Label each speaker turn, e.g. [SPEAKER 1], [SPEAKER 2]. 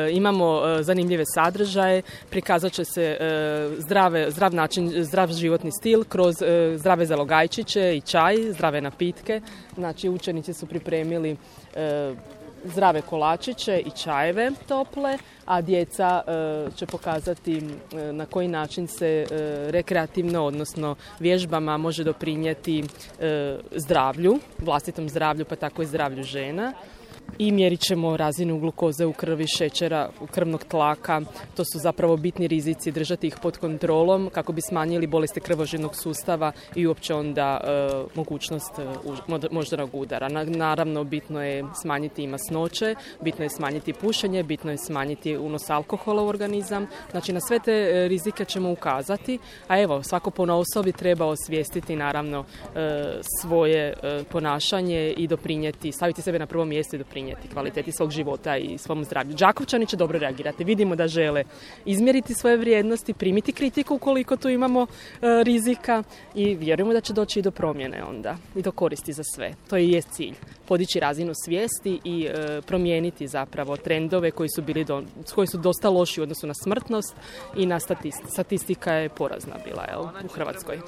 [SPEAKER 1] Imamo zanimljive sadržaje, prikazat će se zdrav način, zdrav životni stil kroz zdrave zalogajčiće i čaj, zdrave napitke. Znači učenici su pripremili zdrave kolačiće i čajeve tople, a djeca će pokazati na koji način se rekreativno, odnosno vježbama može doprinijeti zdravlju, vlastitom zdravlju pa tako i zdravlju žena. I mjerit ćemo razinu glukoze u krvi, šećera, krvnog tlaka. To su zapravo bitni rizici, držati ih pod kontrolom kako bi smanjili bolesti krvožilnog sustava i uopće onda mogućnost moždanog udara. Naravno, bitno je smanjiti i masnoće, bitno je smanjiti pušenje, bitno je smanjiti unos alkohola u organizam. Znači, na sve te rizike ćemo ukazati, a evo, svako ponaosob treba osvijestiti naravno svoje ponašanje i doprinijeti, staviti sebe na prvo mjesto i doprinijeti kvaliteti svog života i svom zdravlju. Đakovčani će dobro reagirati. Vidimo da žele izmjeriti svoje vrijednosti, primiti kritiku ukoliko tu imamo rizika i vjerujemo da će doći i do promjene onda i do koristi za sve. To i je cilj. Podići razinu svijesti i promijeniti zapravo trendove koji su dosta loši u odnosu na smrtnost i na statistika je porazna bila u Hrvatskoj.